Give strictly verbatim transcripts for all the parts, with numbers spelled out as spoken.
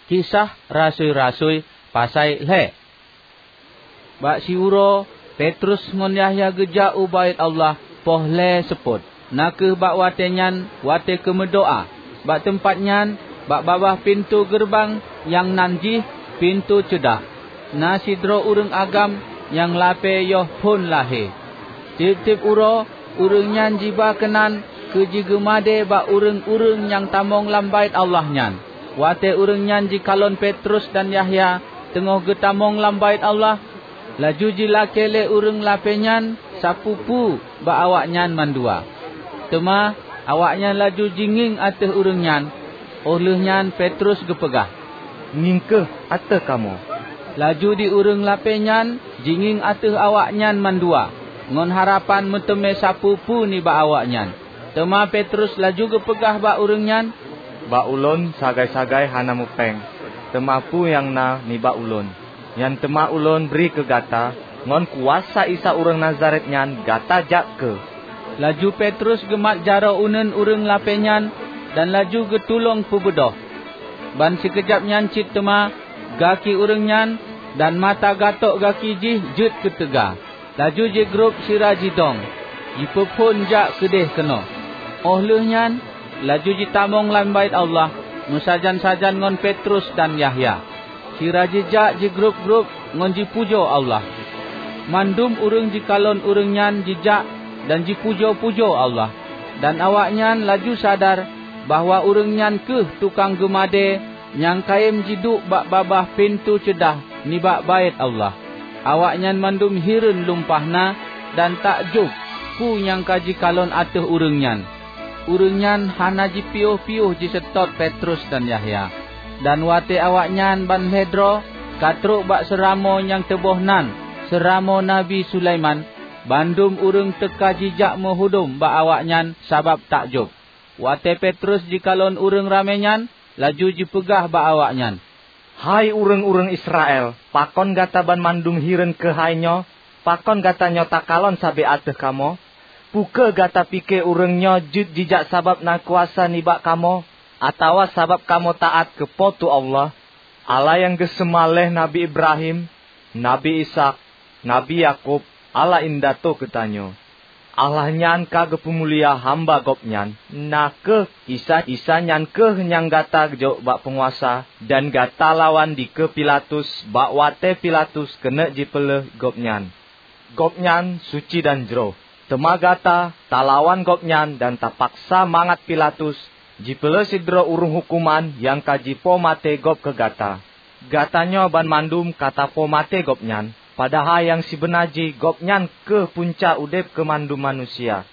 Kisah Rasui-rasui pasai lhée. Bak siuroe, Petrus ngon Yahya geujak u Baét Allah poh lhée seupôt, na kheueh bak watée nyan watée keumeudoá. Bak teumpat nyan, bak babah pintoe geureubang nyang nan jih Pintoe Ceudah, na sidroe ureuëng agam nyang lapée yoh phon lahé. Tieb-tieb uroe, ureuëng nyan jiba keunan keu jigeumadée bak ureuëng-ureuëng nyang tamong lam Baét Allah nyan. Watée ureuëng nyan jikalon Petrus dan Yahya teungoh geutamong lam Baét Allah, laju jilakée lé ureuëng lapée nyan sapeue-peue bak awaknyan mandua. Teuma awaknyan laju jingieng ateueh ureuëng nyan, óh lheueh nyan Petrus geupeugah, "Ngieng kheueh ateueh kamoe." Laju di ureuëng lapée nyan jingieng ateueh awaknyan mandua, ngon harapan meuteumé sapeue-peue nibak awaknyan. Teuma Petrus laju geupeugah bak ureuëng nyan, "Bak ulôn sagai-sagai hana meupéng, teuma peue nyang na nibak ulôn, nyan teuma ulôn bri keu gata. Ngon kuasa Isa ureuëng Nazaret nyan gata jak kheueh." Laju Petrus geumat jaroe uneuen ureuëng lapée nyan dan laju geutulông peubeudôh. Ban sikeujab nyan cit teuma gaki ureuëng nyan dan mata gatôk gaki jih jeuet keu teuga. Laju jigrob sira jidong, jipeuphon jak keudeh keunoe. Óh lheueh nyan, laju jitamong lam Baét Allah meusajan-sajan ngon Petrus dan Yahya. Sira jijak jigrob-grob ngon jipujoe Allah. Mandum ureuëng jikalon ureuëng nyan jijak dan jipujoe-pujoe Allah, dan awaknyan laju sadar bahwa ureuëng nyan kheueh tukang geumadée nyang kayém jiduek bak babah Pintoe Ceudah nibak Baét Allah. Awaknyan mandum hireuen lumpah na dan takjob peue nyang ka jikalon ateueh ureuëng nyan. Ureuëng nyan hana jipiôh-piôh jiseutôt Petrus dan Yahya. Dan watée awaknyan ban lhée droe ka trok bak seuramoe nyang teuboh nan Seuramoe Nabi Sulaiman, bandum ureuëng teuka jijak meuhudom bak awaknyan sabab takjob. Watée Petrus jikalon ureuëng ramé nyan, laju jipeugah bak awaknyan, "Hai ureuëng-ureuëng Israel, pakon gata banmandum hireuen keuhai nyoe? Pakon gata nyoe takalon sabe ateueh kamoe? Peu kheueh gata pike ureuëng nyoe jeuet jijak sabab na kuasa nibak kamoe, atawa sabab kamoe taát keu Po teu Allah, Allah nyang geuseumah lé Nabi Ibrahim, Nabi Ishak, Nabi Yakub, Allah indatu geutanyoe? Allah nyan ka geupeumulia hamba Gobnyan, na kheueh Isa. Isa nyan kheueh nyang gata jok bak peunguasa dan gata lawan dikeue Pilatus bak watée Pilatus keuneuk jipeuleueh Gobnyan. Gobnyan suci dan jroh. Teuma gata talawan Gobnyan dan tapaksa mangat Pilatus jipeuleueh sidroe ureuëng huköman nyang ka jipo maté gob keu gata. Gata nyoe banmandum ka tapo maté Gobnyan, padahai nyang sibeuna jih Gobnyan kheueh punca udeb keu mandum manusia.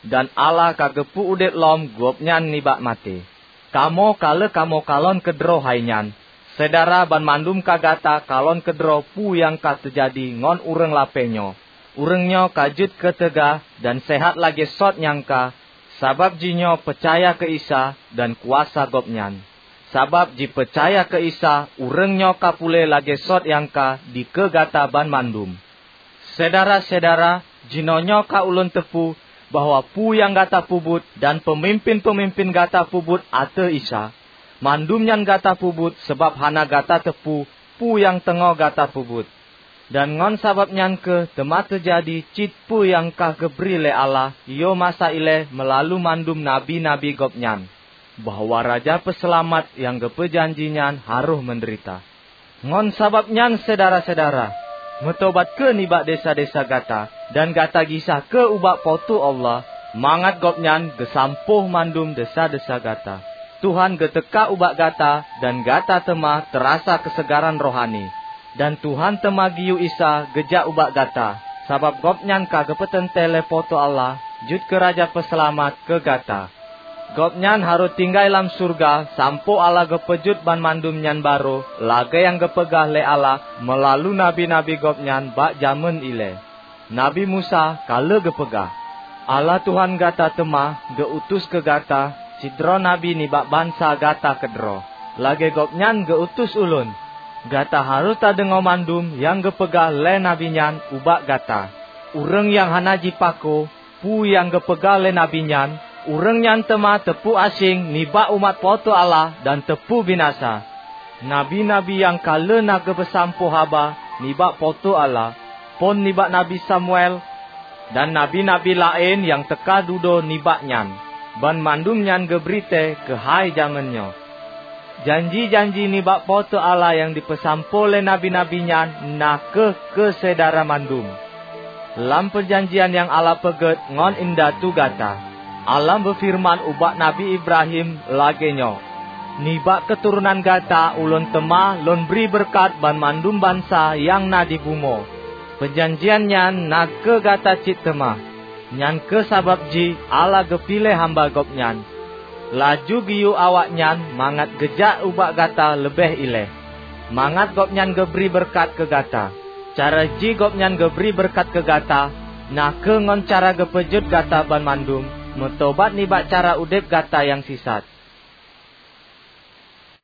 Dan Allah ka geupeu udeb lom Gobnyan nibak maté. Kamoe ka lheueh kamoe kalon keudroe hai nyan. Syedara banmandum ka gata kalon keudroe peue nyang ka teujadi ngon ureuëng lapée nyoe. Ureuëng nyoe ka jeuet keu teuga dan seuhat lagée sot nyang ka, sabab jih nyoe peucaya keu Isa dan kuasa Gobnyan. Sabab jipeucaya keu Isa, ureuëng nyoe ka puléh lagée sot nyang ka dikeue gata banmandum. Syedara-syedara, jinoenyoe ka ulôn teupeu bahwa peue nyang gata peubuet dan peumimpén-peumimpén gata peubuet ateueh Isa, mandum nyan gata peubuet sabab hana gata teupeu peue nyang teungoh gata peubuet. Dan ngon sabab nyan kheueh teuma teujadi cit peue nyang ka geubri lé Allah yoh masa ilée meulalu mandum nabi-nabi Gobnyan, bahwa Raja Peuseulamat nyang geupeujanji nyan harôh meudeurita. Ngon sabab nyan, syedara-syedara, meutobat kheueh nibak desya-desya gata, dan gata gisa kheueh ubak Po teu Allah, mangat Gobnyan geusampôh mandum desya-desya gata. Tuhan geuteuka ubak gata, dan gata teuma teurasa keuseugaran rohani. Dan Tuhan teuma geuyue Isa geujak ubak gata, sabab Gobnyan ka geupeuteuntée lé Po teu Allah jeuet keu Raja Peuseulamat keu gata. Gobnyan harôh tinggai lam syeuruga sampoe Allah geupeujeuet banmandum nyan barô lagée nyang geupeugah lé Allah meulalu nabi-nabi Gobnyan bak jamén ilée. Nabi Musa ka lheueh geupeugah, "Allah Tuhan gata teuma geu-utus keu gata sidroe nabi nibak bansa gata keudroe, lagée Gobnyan geu-utus ulôn. Gata harôh tadeungoe mandum nyang geupeugah lé nabi nyan ubak gata. Ureuëng nyang hana jipako peue nyang geupeugah lé nabi nyan, ureuëng nyan teuma teupeu aséng nibak umat Po teu Allah dan teupeu binasa." Nabi-nabi nyang ka lheueh na geupeusampoe haba nibak Po teu Allah, phon nibak Nabi Samuel, dan nabi-nabi laén nyang teuka dudoe nibak nyan, banmandum nyan geubri tée keuhai jamén nyoe. Janji-janji nibak Po teu Allah nyang jipeusampoe lé nabi-nabi nyan na kheueh keu syedara mandum. Lam peujanjian nyang Allah peugét ngon indatu gata, Allah meufeureuman ubak Nabi Ibrahim lagée nyoe, "Nibak keuturonan gata Ulôn teuma Lôn bri beureukat banmandum bansa nyang na di bumoe." Peujanjian nyan na keu gata cit teuma. Nyan kheueh sabab jih Allah geupiléh hamba Gobnyan, laju geuyue awaknyan mangat geujak ubak gata leubeh ilée, mangat Gobnyan geubri beureukat keu gata. Cara jih Gobnyan geubri beureukat keu gata na kheueh ngon cara geupeujeuet gata banmandum meutobat nibak cara udeb gata nyang sisat.